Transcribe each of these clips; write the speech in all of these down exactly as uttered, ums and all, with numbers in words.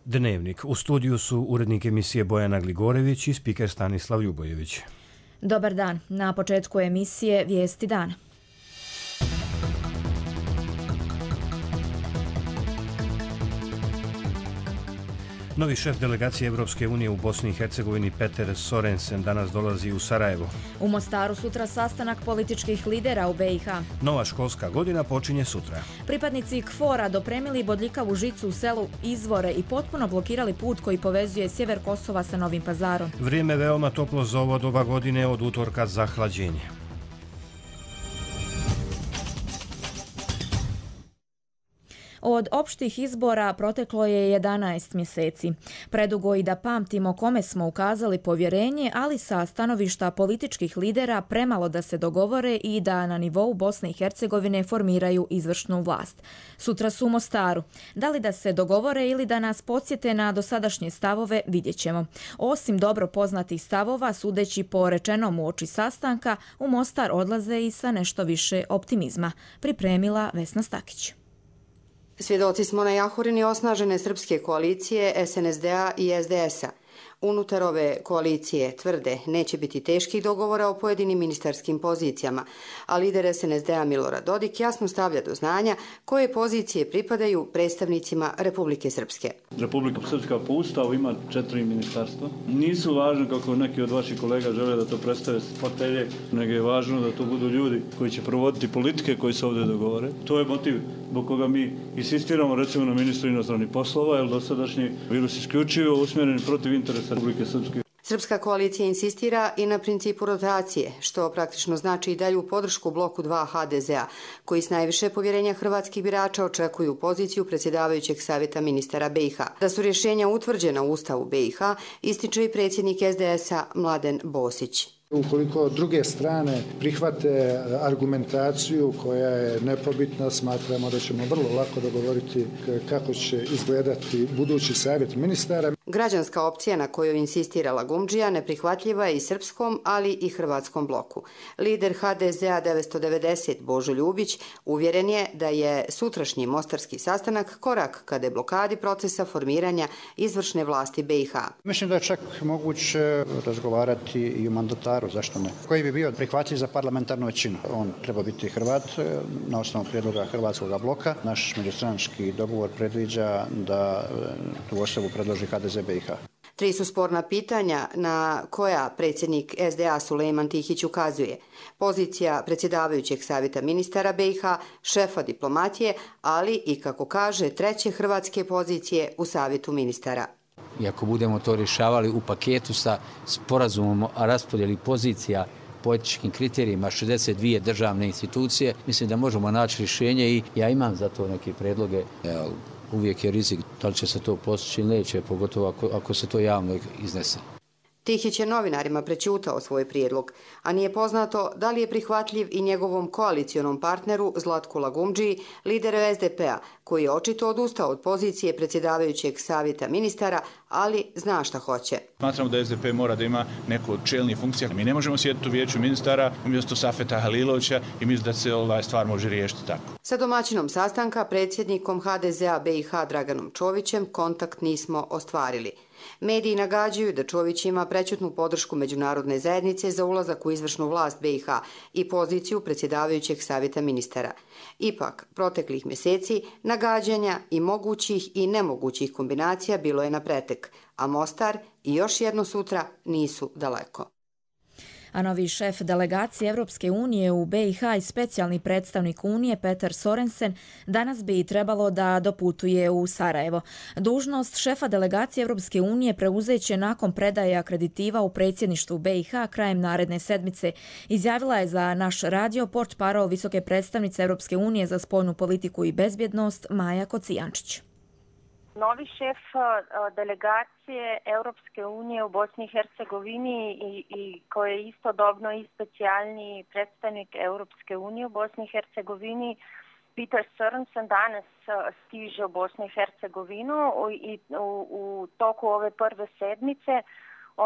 Dnevnik. U studiju su urednik emisije Bojana Gligorević i spiker Stanislav Ljubojević. Dobar dan. Na početku emisije Vijesti dana. Novi šef delegacije Evropske unije u Bosni i Hercegovini Peter Sorensen danas dolazi u Sarajevo. U Mostaru sutra sastanak političkih lidera u B i H. Nova školska godina počinje sutra. Pripadnici K F O R-a dopremili bodljikavu žicu u selu Izvore i potpuno blokirali put koji povezuje sjever Kosova sa Novim Pazarom. Vrijeme veoma toplo za ovo doba godine, od utorka zahlađenje. Od opštih izbora proteklo je jedanaest mjeseci. Predugo i da pamtimo kome smo ukazali povjerenje, ali sa stanovišta političkih lidera premalo da se dogovore i da na nivou Bosne i Hercegovine formiraju izvršnu vlast. Sutra su u Mostaru. Da li da se dogovore ili da nas podsjete na dosadašnje stavove, vidjet ćemo. Osim dobro poznatih stavova, sudeći po rečenom uoči sastanka, u Mostar odlaze i sa nešto više optimizma. Pripremila Vesna Stakić. Svjedoci smo na jahurini osnažene srpske koalicije S N S D-a i S D S-a. Unutar ove koalicije tvrde neće biti teških dogovora o pojedinim ministarskim pozicijama, a lider S N S D-a Milorad Dodik jasno stavlja do znanja koje pozicije pripadaju predstavnicima Republike Srpske. Republika Srpska po Ustavu ima četiri ministarstva. Nisu važno kako neki od vaših kolega žele da to predstave s fotelje, nego je važno da to budu ljudi koji će provoditi politike koji se ovdje dogovore. To je motiv zbog koga mi insistiramo recimo na ministru inostranih poslova, jer dosadašnji virus isključivo usmjeren protiv interesa Republike Srpske. Srpska koalicija insistira i na principu rotacije, što praktično znači i dalju podršku bloku dva H D Z-a, koji s najviše povjerenja hrvatskih birača očekuju poziciju predsjedavajućeg savjeta ministara B i H. Da su rješenja utvrđena u Ustavu B i H, ističe i predsjednik S D S-a Mladen Bosić. Ukoliko druge strane prihvate argumentaciju koja je nepobitna, smatramo da ćemo vrlo lako dogovoriti kako će izgledati budući savjet ministara. Građanska opcija na kojoj insistira Lagumdžija neprihvatljiva je i srpskom, ali i hrvatskom bloku. Lider H D Z-a devetsto devedeset Božo Ljubić uvjeren je da je sutrašnji mostarski sastanak korak ka deblokadi procesa formiranja izvršne vlasti B i H. Mislim da je čak moguće razgovarati i o mandataru, zašto ne? Koji bi bio prihvatljiv za parlamentarnu većinu? On treba biti Hrvat na osnovu prijedloga hrvatskog bloka. Naš međustranački dogovor predviđa da tu osobu predloži H D Z B i H. Tri su sporna pitanja na koja predsjednik S D A Sulejman Tihić ukazuje. Pozicija predsjedavajućeg savjeta ministara B i H, šefa diplomatije, ali i, kako kaže, treće hrvatske pozicije u savjetu ministara. I ako budemo to rješavali u paketu sa sporazumom o raspodjeli pozicija po etičkim kriterijima šezdeset dvije državne institucije, mislim da možemo naći rješenje i ja imam za to neke predloge. Uvijek je rizik da li će se to postići ili neće, pogotovo ako, ako se to javno iznese. Tihić je novinarima prećutao svoj prijedlog, a nije poznato da li je prihvatljiv i njegovom koalicionom partneru Zlatku Lagumdžiji, lideru S D P-a, koji je očito odustao od pozicije predsjedavajućeg savjeta ministara, ali zna šta hoće. Smatramo da S D P mora da ima neku od čelnih funkcija. Mi ne možemo sjediti u vijeću ministara umjesto Safeta Halilovića i mislim da se ova stvar može riješiti tako. Sa domaćinom sastanka, predsjednikom H D Z-a B i H Draganom Čovićem, kontakt nismo ostvarili. Mediji nagađaju da Čović ima prećutnu podršku međunarodne zajednice za ulazak u izvršnu vlast B i H i poziciju predsjedavajućeg savjeta ministara. Ipak, proteklih mjeseci nagađanja i mogućih i nemogućih kombinacija bilo je na pretek, a Mostar i još jedno sutra nisu daleko. A novi šef delegacije Evropske unije u B i H i specijalni predstavnik Unije Peter Sorensen danas bi trebalo da doputuje u Sarajevo. Dužnost šefa delegacije Evropske unije preuzeće nakon predaje akreditiva u predsjedništvu B i H krajem naredne sedmice. Izjavila je za naš radio portparol visoke predstavnice Evropske unije za spoljnu politiku i bezbjednost Maja Kocijančić. Novi šef delegacije Europske unije u Bosni i Hercegovini i, i koji je istodobno i specijalni predstavnik Europske unije u Bosni i Hercegovini, Peter Sorensen, danas stiže u Bosnu i Hercegovinu i u, u toku ove prve sedmice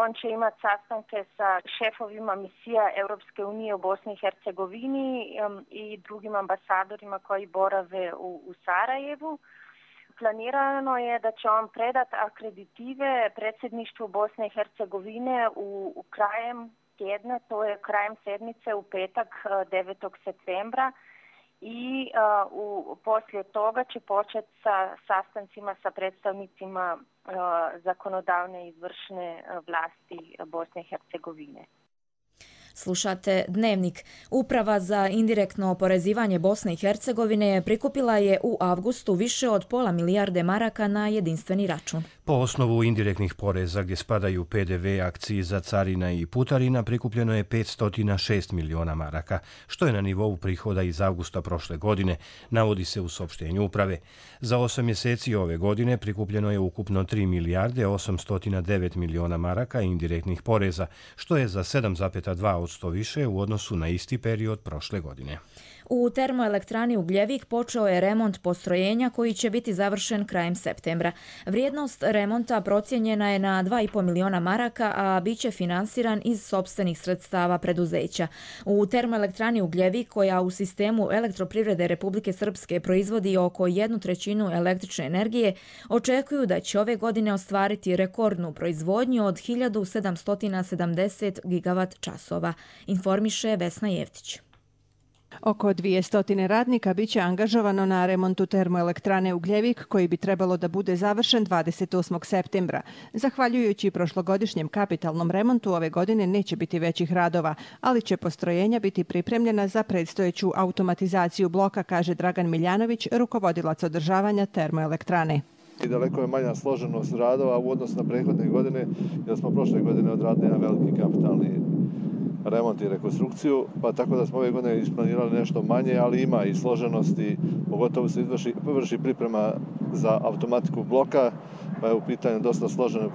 on će imati sastanke sa šefovima misija Europske unije u Bosni i Hercegovini i drugim ambasadorima koji borave u, u Sarajevu. Planirano je da će on predati akreditive predsjedništvu Bosne i Hercegovine u, u krajem tjedna, to je krajem sedmice u petak devetog septembra i uh, u, poslije toga će početi sa sastancima sa predstavnicima uh, zakonodavne i izvršne vlasti Bosne i Hercegovine. Slušate Dnevnik. Uprava za indirektno oporezivanje Bosne i Hercegovine prikupila je u avgustu više od pola milijarde maraka na jedinstveni račun. Po osnovu indirektnih poreza gdje spadaju P D V, akciza, carina i putarina prikupljeno je petsto šest miliona maraka, što je na nivou prihoda iz avgusta prošle godine, navodi se u saopštenju uprave. Za osam mjeseci ove godine prikupljeno je ukupno tri milijarde osamsto devet miliona maraka indirektnih poreza, što je za sedam zarez dva posto više u odnosu na isti period prošle godine. U termoelektrani Ugljevik počeo je remont postrojenja koji će biti završen krajem septembra. Vrijednost remonta procijenjena je na dva i pol miliona maraka, a bit će finansiran iz sopstvenih sredstava preduzeća. U termoelektrani Ugljevik, koja u sistemu elektroprivrede Republike Srpske proizvodi oko jednu trećinu električne energije, očekuju da će ove godine ostvariti rekordnu proizvodnju od hiljadu sedamsto sedamdeset gigavat časova, informiše Vesna Jevtić. Oko dvjesto radnika biće angažovano na remontu termoelektrane Ugljevik, koji bi trebalo da bude završen dvadeset osmog septembra. Zahvaljujući prošlogodišnjem kapitalnom remontu, ove godine neće biti većih radova, ali će postrojenja biti pripremljena za predstojeću automatizaciju bloka, kaže Dragan Miljanović, rukovodilac održavanja termoelektrane. I daleko je manja složenost radova u odnosu na prethodne godine, jer smo prošle godine odradili jedan veliki kapitalni remont i rekonstrukciju, pa tako da smo ove godine isplanirali nešto manje, ali ima i složenosti, pogotovo se izvrši, vrši priprema za automatiku bloka, pa je u pitanju dosta složene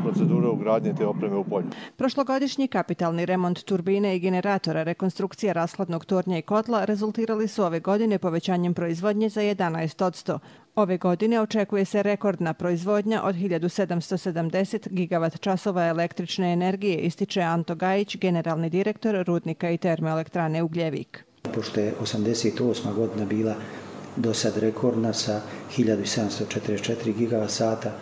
procedure ugradnje te opreme u polju. Prošlogodišnji kapitalni remont turbine i generatora, rekonstrukcija rashladnog tornja i kotla rezultirali su ove godine povećanjem proizvodnje za jedanaest posto. Ove godine očekuje se rekordna proizvodnja od hiljadu sedamsto sedamdeset gigavat časova električne energije, ističe Anto Gajić, generalni direktor rudnika i termoelektrane Ugljevik. Pošto je osamdeset osma godina bila do sad rekordna sa hiljadu sedamsto četrdeset četiri gigavat sata,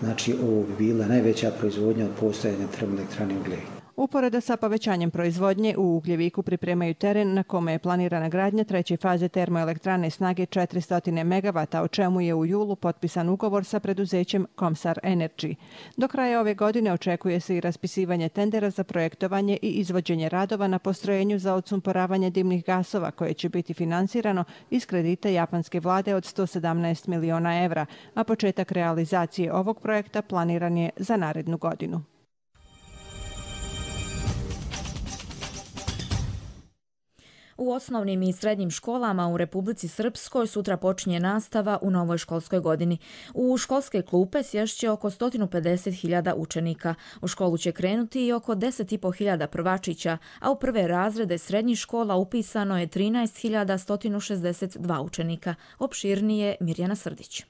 znači ovo bi bila najveća proizvodnja od postojanja termoelektrane Ugljevik. Uporedo sa povećanjem proizvodnje, u Ugljeviku pripremaju teren na kome je planirana gradnja treće faze termoelektrane snage četiristo megavata, o čemu je u julu potpisan ugovor sa preduzećem Comsar Energy. Do kraja ove godine očekuje se i raspisivanje tendera za projektovanje i izvođenje radova na postrojenju za odsumporavanje dimnih gasova, koje će biti finansirano iz kredita japanske vlade od sto sedamnaest miliona evra, a početak realizacije ovog projekta planiran je za narednu godinu. U osnovnim i srednjim školama u Republici Srpskoj sutra počinje nastava u novoj školskoj godini. U školske klupe sješće oko sto pedeset hiljada učenika. U školu će krenuti i oko deset i po hiljada prvačića, a u prve razrede srednjih škola upisano je trinaest hiljada sto šezdeset dva učenika. Opširnije Mirjana Srdić.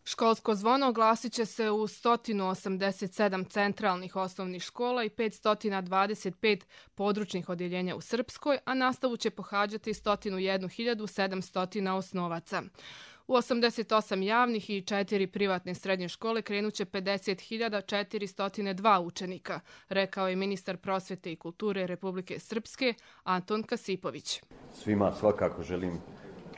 Školsko zvono oglasit će se u sto osamdeset sedam centralnih osnovnih škola i petsto dvadeset pet područnih odjeljenja u Srpskoj, a nastavu će pohađati sto jedna hiljada sedamsto osnovaca. U osamdeset osam javnih i četiri privatne srednje škole krenuće pedeset hiljada četiristo dva učenika, rekao je ministar prosvete i kulture Republike Srpske Anton Kasipović. Svima svakako želim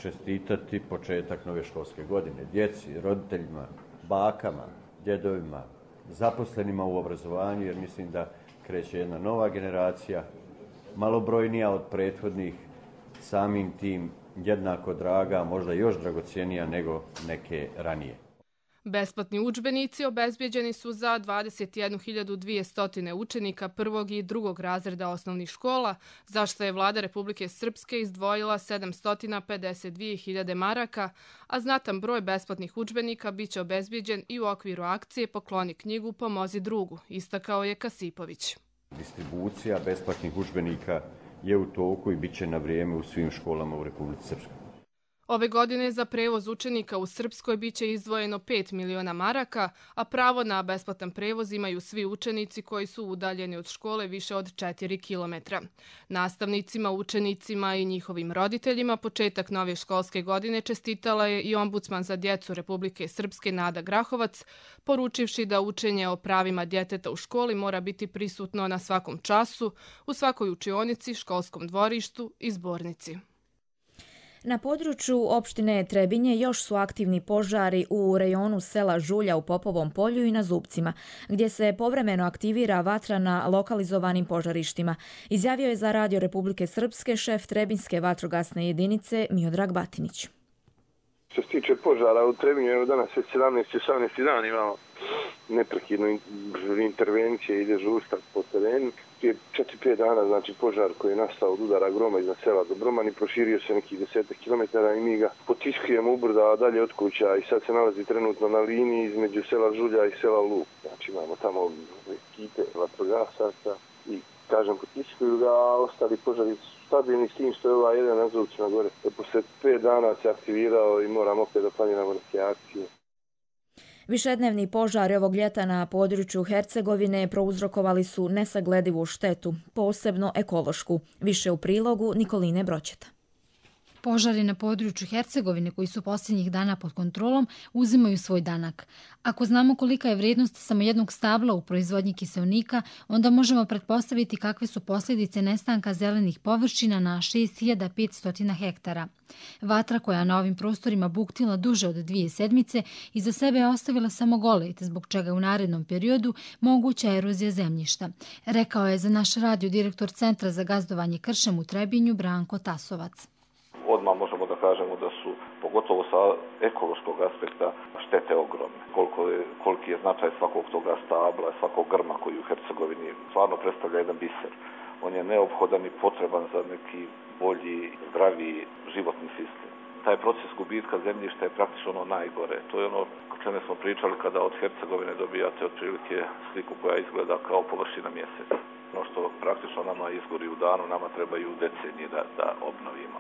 čestitati početak nove školske godine. Djeci, roditeljima, bakama, djedovima, zaposlenima u obrazovanju, jer mislim da kreće jedna nova generacija, malobrojnija od prethodnih, samim tim jednako draga, možda još dragocjenija nego neke ranije. Besplatni udžbenici obezbijeđeni su za dvadeset jednu hiljadu dvjesto učenika prvog i drugog razreda osnovnih škola, za što je vlada Republike Srpske izdvojila sedamsto pedeset dvije hiljade maraka, a znatan broj besplatnih udžbenika biće obezbijeđen i u okviru akcije Pokloni knjigu, pomozi drugu, istakao je Kasipović. Distribucija besplatnih udžbenika je u toku i bit će na vrijeme u svim školama u Republici Srpskoj. Ove godine za prevoz učenika u Srpskoj biće izdvojeno pet miliona maraka, a pravo na besplatan prevoz imaju svi učenici koji su udaljeni od škole više od četiri kilometra. Nastavnicima, učenicima i njihovim roditeljima početak nove školske godine čestitala je i ombudsman za djecu Republike Srpske Nada Grahovac, poručivši da učenje o pravima djeteta u školi mora biti prisutno na svakom času, u svakoj učionici, školskom dvorištu i zbornici. Na području opštine Trebinje još su aktivni požari u rejonu sela Žulja u Popovom polju i na Zubcima, gdje se povremeno aktivira vatra na lokalizovanim požarištima, izjavio je za Radio Republike Srpske šef Trebinjske vatrogasne jedinice Miodrag Batinić. Što se tiče požara u Trebinju, evo danas već sedamnaesti osamnaesti dan imamo neprekidno intervencije i dežurstva po terenu. Prije četiri pet dana, znači požar koji je nastao od udara groma iznad sela Dobroman i proširio se nekih desetak kilometara i mi ga potiskujemo ubrda dalje od kuća i sad se nalazi trenutno na liniji između sela Žulja i sela Luk. Znači imamo tamo ekipe vatrogasaca i kažem potiskuju ga, a ostali požari su stabilni s tim što je ovaj jedan na Zubcima gore. Posle pet dana se aktivirao i moramo opet da planiramo neke akcije. Višednevni požari ovog ljeta na području Hercegovine prouzrokovali su nesagledivu štetu, posebno ekološku. Više u prilogu Nikoline Broćeta. Požari na području Hercegovine koji su posljednjih dana pod kontrolom uzimaju svoj danak. Ako znamo kolika je vrijednost samo jednog stabla u proizvodnji kiseonika, onda možemo pretpostaviti kakve su posljedice nestanka zelenih površina na šest hiljada petsto hektara. Vatra koja na ovim prostorima buktila duže od dvije sedmice iza sebe je ostavila samo golet, zbog čega u narednom periodu moguća erozija zemljišta, rekao je za naš radio direktor Centra za gazdovanje kršem u Trebinju Branko Tasovac. Odmah možemo da kažemo da su, pogotovo sa ekološkog aspekta, štete ogromne. Koliko je, koliki je značaj svakog toga stabla, svakog grma koji u Hercegovini stvarno predstavlja jedan biser. On je neophodan i potreban za neki bolji, zdraviji životni sistem. Taj proces gubitka zemljišta je praktično ono najgore. To je ono o čemu smo pričali kada od Hercegovine dobijate otprilike sliku koja izgleda kao površina mjeseca. Ono što praktično nama izgori u danu, nama trebaju decenije da, da obnovimo.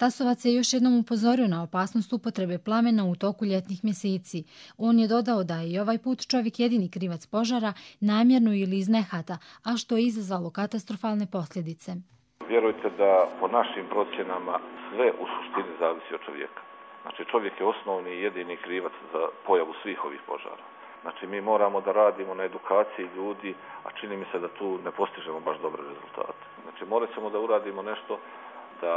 Tasovac je još jednom upozorio na opasnost upotrebe plamena u toku ljetnih mjeseci. On je dodao da je i ovaj put čovjek jedini krivac požara, namjerno ili iz nehata, a što je izazvalo katastrofalne posljedice. Vjerujte da po našim procjenama sve u suštini zavisi od čovjeka. Znači čovjek je osnovni i jedini krivac za pojavu svih ovih požara. Znači mi moramo da radimo na edukaciji ljudi, a čini mi se da tu ne postižemo baš dobre rezultate. Znači morat ćemo da uradimo nešto da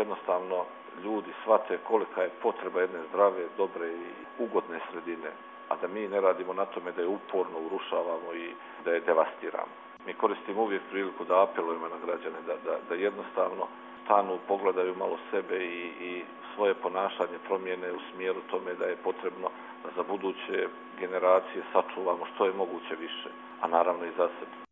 jednostavno ljudi shvate kolika je potreba jedne zdrave, dobre i ugodne sredine, a da mi ne radimo na tome da je uporno urušavamo i da je devastiramo. Mi koristimo uvijek priliku da apelujemo na građane, da, da, da jednostavno stanu, pogledaju malo sebe i, i svoje ponašanje promijene u smjeru tome da je potrebno da za buduće generacije sačuvamo što je moguće više, a naravno i za sebe.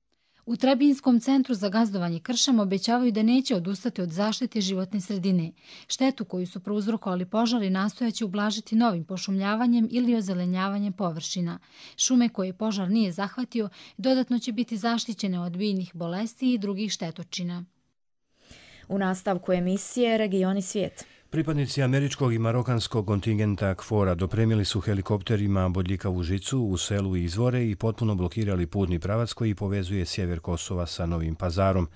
U Trebinskom centru za gazdovanje kršem obećavaju da neće odustati od zaštite životne sredine. Štetu koju su prouzrokovali požari nastojaće ublažiti novim pošumljavanjem ili ozelenjavanjem površina. Šume koje požar nije zahvatio dodatno će biti zaštićene od biljnih bolesti i drugih štetočina. U nastavku emisije Regioni svijet. Pripadnici američkog i marokanskog kontingenta KFOR-a dopremili su helikopterima bodljikavu žicu u selu Izvore i potpuno blokirali putni pravac koji povezuje sjever Kosova sa Novim Pazarom.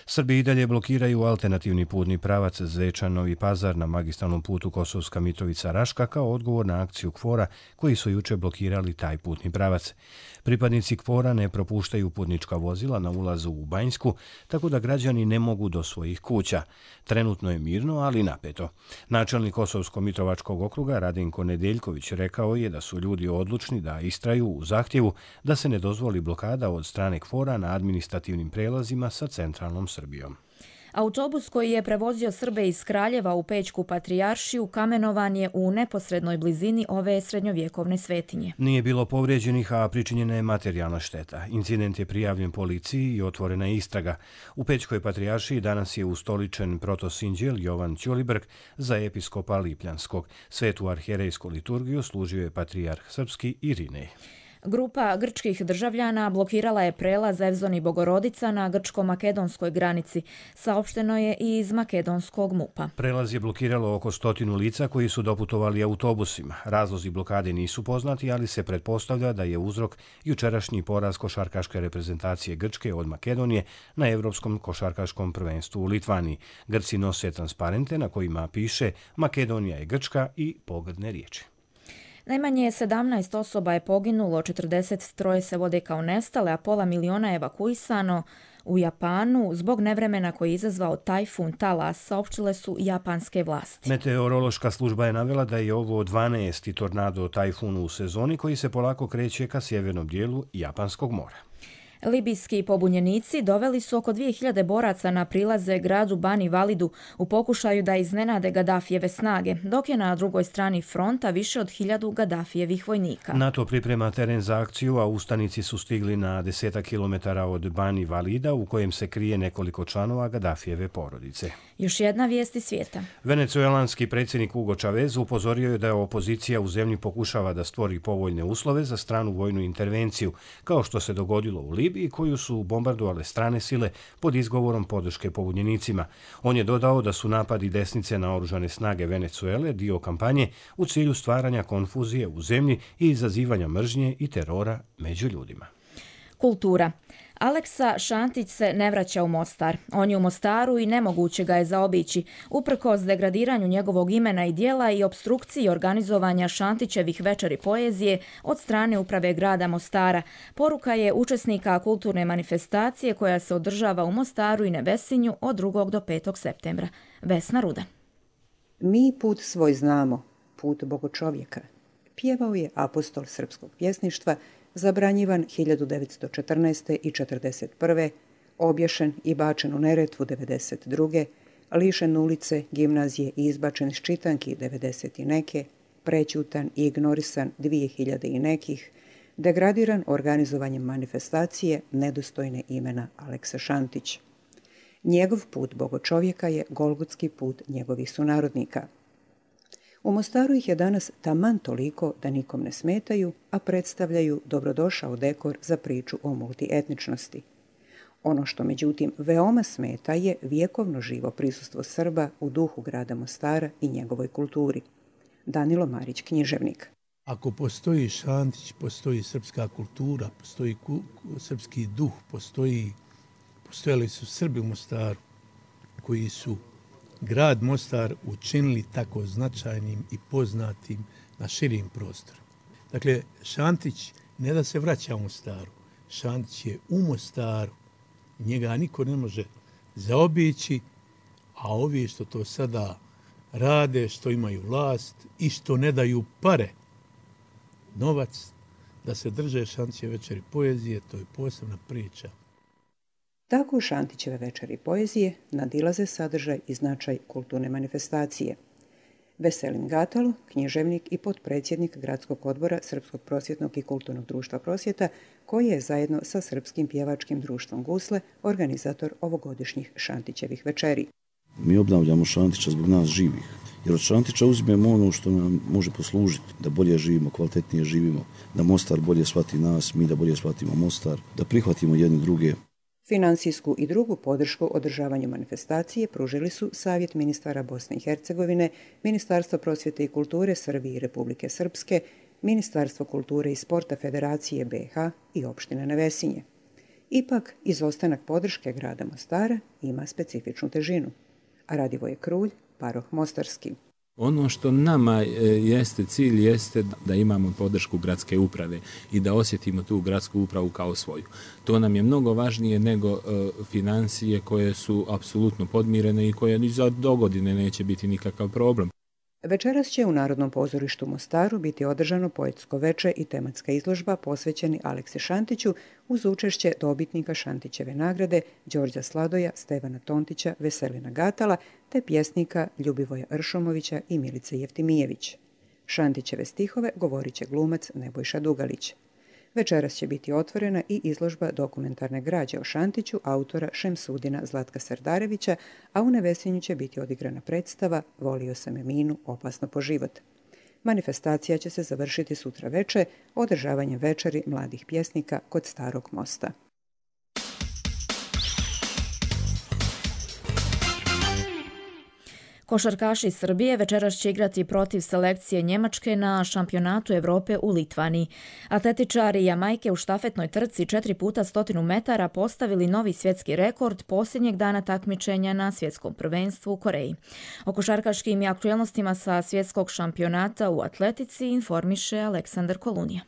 Srbi i dalje blokiraju alternativni putni pravac Zvečan-Novi Pazar na magistralnom putu Kosovska Mitrovica-Raška kao odgovor na akciju KFOR-a koji su juče blokirali taj putni pravac. Pripadnici KFOR-a ne propuštaju putnička vozila na ulazu u Banjsku, tako da građani ne mogu do svojih kuća. Trenutno je mirno, ali napeto. Načelnik Kosovsko-Mitrovačkog okruga Radinko Nedeljković rekao je da su ljudi odlučni da istraju u zahtjevu da se ne dozvoli blokada od strane KFOR-a na administrativnim prelazima sa centralnom Srbijom. Autobus koji je prevozio Srbe iz Kraljeva u Pećku patrijaršiju kamenovan je u neposrednoj blizini ove srednjovjekovne svetinje. Nije bilo povrijeđenih, a pričinjena je materijalna šteta. Incident je prijavljen policiji i otvorena je istraga. U Pećkoj patrijaršiji danas je ustoličen protosinđel Jovan Ćulibrk za episkopa Lipljanskog. Svetu arhijerejsku liturgiju služio je patrijarh srpski Irinej. Grupa grčkih državljana blokirala je prelaz Evzoni Bogorodica na grčko-makedonskoj granici. Saopšteno je i iz makedonskog mupa. Prelaz je blokiralo oko stotinu lica koji su doputovali autobusima. Razlozi blokade nisu poznati, ali se pretpostavlja da je uzrok jučerašnji poraz košarkaške reprezentacije Grčke od Makedonije na Evropskom košarkaškom prvenstvu u Litvaniji. Grci nose transparente na kojima piše Makedonija je Grčka i pogrdne riječi. Najmanje sedamnaest osoba je poginulo, četrdeset troje se vode kao nestale, a pola miliona je evakuisano u Japanu zbog nevremena koji je izazvao tajfun Talas, saopštile su japanske vlasti. Meteorološka služba je navela da je ovo dvanaesti tornado tajfun u sezoni koji se polako kreće ka sjevernom dijelu Japanskog mora. Libijski pobunjenici doveli su oko dvije hiljade boraca na prilaze gradu Bani Validu u pokušaju da iznenade Gadafijeve snage, dok je na drugoj strani fronta više od hiljadu Gadafijevih vojnika. NATO priprema teren za akciju, a ustanici su stigli na desetak kilometara od Bani Valida u kojem se krije nekoliko članova Gadafijeve porodice. Još jedna vijest iz svijeta. Venecuelanski predsjednik Hugo Chavez upozorio je da je opozicija u zemlji pokušava da stvori povoljne uslove za stranu vojnu intervenciju, kao što se dogodilo u Libiji, koju su bombardovale strane sile pod izgovorom podrške pobunjenicima. On je dodao da su napadi desnice na oružane snage Venecuele dio kampanje u cilju stvaranja konfuzije u zemlji i izazivanja mržnje i terora među ljudima. Kultura. Aleksa Šantić se ne vraća u Mostar. On je u Mostaru i nemoguće ga je zaobići, uprkos degradiranju njegovog imena i dijela i opstrukciji organizovanja Šantićevih večeri poezije od strane uprave grada Mostara. Poruka je učesnika kulturne manifestacije koja se održava u Mostaru i Nevesinju od drugog do petog septembra. Vesna Ruda. Mi put svoj znamo, put bogočovjeka. Pjevao je apostol srpskog pjesništva, zabranjivan hiljadu devetsto četrnaeste. i četrdeset prve, obješen i bačen u Neretvu devedeset druge, lišen ulice, gimnazije i izbačen iz čitanki devedeset i neke, prećutan i ignorisan dvije hiljade i nekih, degradiran organizovanjem manifestacije nedostojne imena Aleksa Šantić. Njegov put bogočovjeka je golgotski put njegovih sunarodnika. U Mostaru ih je danas taman toliko da nikom ne smetaju, a predstavljaju dobrodošao dekor za priču o multietničnosti. Ono što međutim veoma smeta je vjekovno živo prisustvo Srba u duhu grada Mostara i njegovoj kulturi. Danilo Marić, književnik. Ako postoji Šantić, postoji srpska kultura, postoji ku, srpski duh, postoji, postojali su Srbi u Mostaru koji su grad Mostar učinili tako značajnim i poznatim na širim prostoru. Dakle, Šantić ne da se vraća u Mostaru, Šantić je u Mostaru, njega niko ne može zaobići, a ovi što to sada rade, što imaju vlast i što ne daju pare, novac, da se drže Šantićeve večeri poezije, to je posebna priča. Tako Šantićeve večeri poezije nadilaze sadržaj i značaj kulturne manifestacije. Veselin Gatalo, književnik i potpredsjednik Gradskog odbora Srpskog prosvjetnog i kulturnog društva Prosvjeta, koji je zajedno sa Srpskim pjevačkim društvom Gusle organizator ovogodišnjih Šantićevih večeri. Mi obnavljamo Šantića zbog nas živih, jer od Šantića uzmemo ono što nam može poslužiti, da bolje živimo, kvalitetnije živimo, da Mostar bolje shvati nas, mi da bolje shvatimo Mostar, da prihvatimo jedni druge. Finansijsku i drugu podršku održavanju manifestacije pružili su Savjet ministara Bosne i Hercegovine, Ministarstvo prosvjete i kulture Srbije i Republike Srpske, Ministarstvo kulture i sporta Federacije B i H i opštine Nevesinje. Ipak, izostanak podrške grada Mostara ima specifičnu težinu. A Radivoje Krulj, paroh Mostarski. Ono što nama jeste cilj jeste da imamo podršku gradske uprave i da osjetimo tu gradsku upravu kao svoju. To nam je mnogo važnije nego uh, financije koje su apsolutno podmirene i koje ni za dogodine neće biti nikakav problem. Večeras će u Narodnom pozorištu Mostaru biti održano poetsko veče i tematska izložba posvećeni Aleksi Šantiću uz učešće dobitnika Šantićeve nagrade Đorđa Sladoja, Stevana Tontića, Veselina Gatala te pjesnika Ljubivoja Ršomovića i Milice Jeftimijević. Šantićeve stihove govorit će glumac Nebojša Dugalić. Večeras će biti otvorena i izložba dokumentarne građe o Šantiću autora Šemsudina Zlatka Serdarevića, a u Nevesinju će biti odigrana predstava Volio sam Eminu, opasno po život. Manifestacija će se završiti sutra veče održavanjem večeri mladih pjesnika kod Starog mosta. Košarkaši Srbije večeras će igrati protiv selekcije Njemačke na šampionatu Evrope u Litvaniji. Atletičari Jamajke u štafetnoj trci četiri puta stotinu metara postavili novi svjetski rekord posljednjeg dana takmičenja na svjetskom prvenstvu u Koreji. O košarkaškim i aktualnostima sa svjetskog šampionata u atletici informiše Aleksandar Kolunija.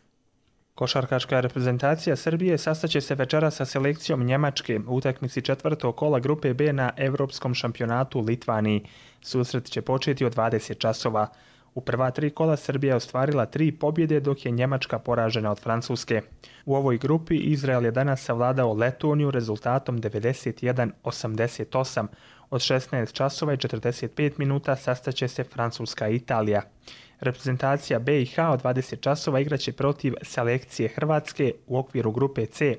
Košarkaška reprezentacija Srbije sastaće se večera sa selekcijom Njemačke u utakmici četvrtog kola grupe B na Evropskom šampionatu u Litvaniji. Susret će početi od dvadeset časova. U prva tri kola Srbija je ostvarila tri pobjede, dok je Njemačka poražena od Francuske. U ovoj grupi Izrael je danas savladao Letoniju rezultatom devedeset jedan osamdeset osam. Od šesnaest časova i četrdeset pet minuta sastaće se Francuska i Italija. Reprezentacija B i H od dvadeset časova igraće protiv selekcije Hrvatske u okviru grupe C.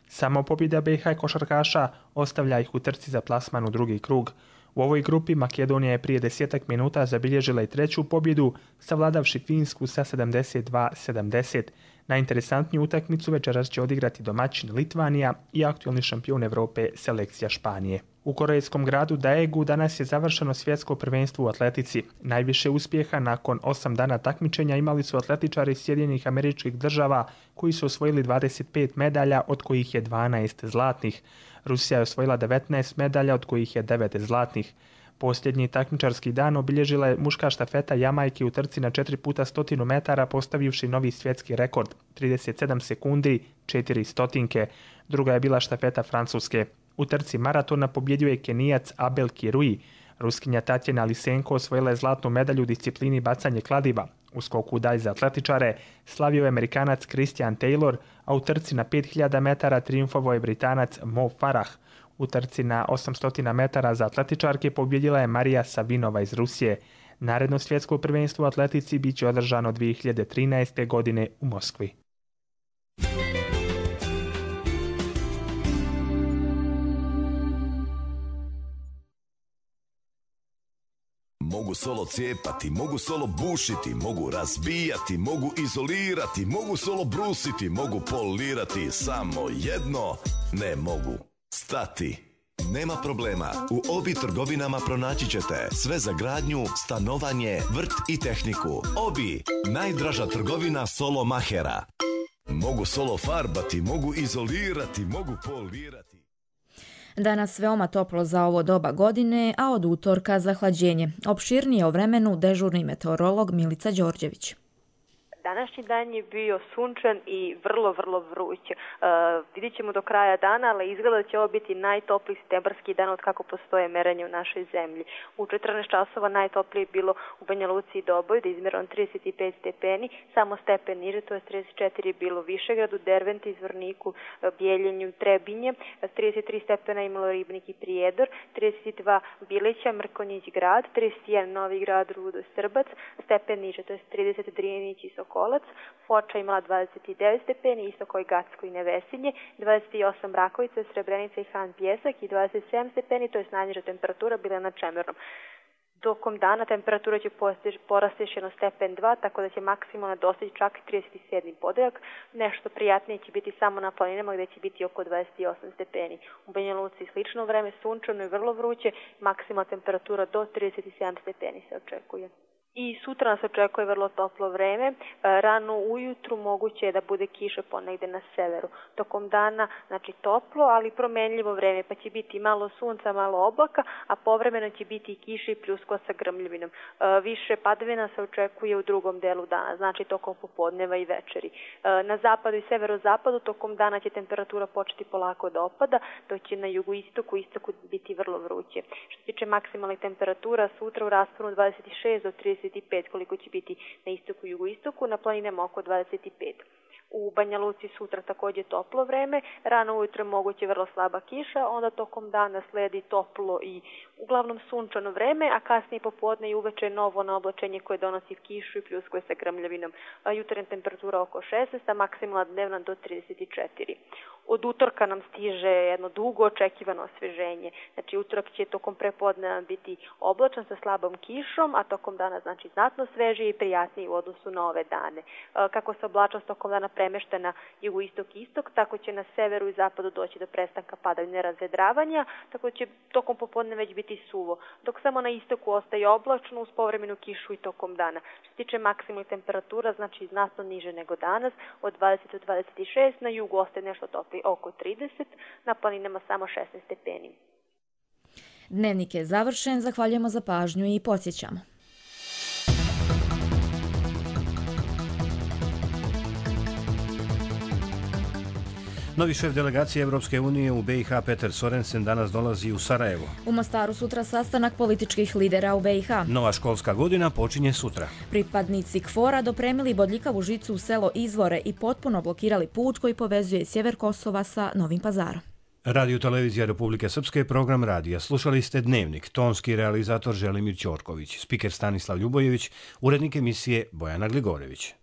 Samo pobjeda B i H košarkaša ostavlja ih u trci za plasman u drugi krug. U ovoj grupi Makedonija je prije desetak minuta zabilježila i treću pobjedu, savladavši Finsku sa sedamdeset dva sedamdeset. Najinteresantniju utakmicu večeras će odigrati domaćin Litvanija i aktualni šampion Evrope selekcija Španije. U korejskom gradu Daegu danas je završeno svjetsko prvenstvo u atletici. Najviše uspjeha nakon osam dana takmičenja imali su atletičari iz Sjedinjenih Američkih Država koji su osvojili dvadeset pet medalja, od kojih je dvanaest zlatnih. Rusija je osvojila devetnaest medalja, od kojih je devet zlatnih. Posljednji takmičarski dan obilježila je muška štafeta Jamajke u trci na četiri puta stotinu metara, postavivši novi svjetski rekord trideset sedam sekundi četiri stotinke. Druga je bila štafeta Francuske. U trci maratona pobjedio je Kenijac Abel Kirui. Ruskinja Tatjana Lisenko osvojila je zlatnu medalju u disciplini bacanje kladiva. U skoku dalj za atletičare slavio je Amerikanac Christian Taylor, a u trci na pet hiljada metara trijumfovao je Britanac Mo Farah. U trci na osamsto metara za atletičarke pobjedila je Marija Savinova iz Rusije. Naredno svjetsko prvenstvo u atletici bit će održano dvije hiljade trinaeste. godine u Moskvi. Mogu solo cijepati, mogu solo bušiti, mogu razbijati, mogu izolirati, mogu solo brusiti, mogu polirati, samo jedno ne mogu stati. Nema problema, u Obi trgovinama pronaći ćete sve za gradnju, stanovanje, vrt i tehniku. Obi, najdraža trgovina solo mahera. Mogu solo farbati, mogu izolirati, mogu polirati. Danas veoma toplo za ovo doba godine, a od utorka zahlađenje. Opširnije o vremenu dežurni meteorolog Milica Đorđević. Današnji dan je bio sunčan i vrlo, vrlo vruć. Uh, vidjet ćemo do kraja dana, ali izgleda da će ovo biti najtopliji septembarski dan od kako postoje merenje u našoj zemlji. U četrnaest časova najtoplije je bilo u Banja Luci i Doboj, da je izmjereno trideset pet stepeni, samo stepen niže, to je trideset četiri je bilo u Višegradu, Derventi, Zvorniku, Bijeljenju, Trebinje, trideset tri stepena imalo Ribnik i Prijedor, trideset dva Bileća, Mrkonjić grad, trideset jedan Novi grad, Rudo, Srbac, stepen niže, to je trideset Drijenić i Sokolac, Foča imala dvadeset devet stepeni, isto kao i Gacko i Nevesinje, dvadeset osam Rakovica, Srebrenica i Han Pjesak i dvadeset sedam stepeni, to je najniža temperatura, bila na Čemernom. Tokom dana temperatura će porasti još jedno stepen dva, tako da će maksimalno dostići čak trideset sedmi podeljak. Nešto prijatnije će biti samo na planinama gdje će biti oko dvadeset osam stepeni. U Banja Luci slično vreme, sunčano i vrlo vruće, maksimalna temperatura do trideset sedam stepeni se očekuje. I sutra nas očekuje vrlo toplo vreme, rano ujutru moguće je da bude kiša ponegde na severu. Tokom dana, znači toplo, ali promenljivo vreme, pa će biti malo sunca, malo oblaka, a povremeno će biti i kiša i pljuskova sa grmljavinom. Više padavina se očekuje u drugom delu dana, znači tokom popodneva i večeri. Na zapadu i severozapadu tokom dana će temperatura početi polako da opada, dok će na jugoistoku i istoku biti vrlo vruće. Što se tiče maksimalnih temperatura, sutra u rasponu dvadeset šest do trideset pet koliko će biti na istoku i jugoistoku, na planinama oko dvadeset pet. U Banja Luci sutra također toplo vreme, rano ujutro moguće vrlo slaba kiša, onda tokom dana sledi toplo i uglavnom sunčano vreme, a kasnije popodne i uveče novo na oblačenje koje donosi kišu i pljuskuje sa grmljavinom. Jutarnja temperatura oko šesnaest, a maksimalna dnevna do trideset četiri. Od utorka nam stiže jedno dugo očekivano osveženje. Znači utorak će tokom prepodneva biti oblačan sa slabom kišom, a tokom dana znači znatno svežiji i prijatniji u odnosu na ove dane. Kako se oblačnost tokom dana premešta na jugoistok i istok, tako će na severu i zapadu doći do prestanka padavine razvedravanja, tako će tokom popodne već biti suvo, dok samo na istoku ostaje oblačno uz povremenu kišu i tokom dana. Što se tiče maksimalnih temperatura, znači znatno niže nego danas, od dvadeset do dvadeset šest, na jugu ostaje nešto toplije oko trideset, na planinama samo šesnaest stepeni. Dnevnik je završen, zahvaljujemo za pažnju i podsjećamo. Novi šef delegacije Evropske unije u B i H Peter Sorensen danas dolazi u Sarajevo. U Mostaru sutra sastanak političkih lidera u B i H. Nova školska godina počinje sutra. Pripadnici K F O R-a dopremili bodljikavu žicu u selo Izvore i potpuno blokirali put koji povezuje sjever Kosova sa Novim Pazarom. Radio Televizija Republike Srpske, program radija. Slušali ste Dnevnik, tonski realizator Želimir Ćorković, spiker Stanislav Ljubojević, urednik emisije Bojana Gligorević.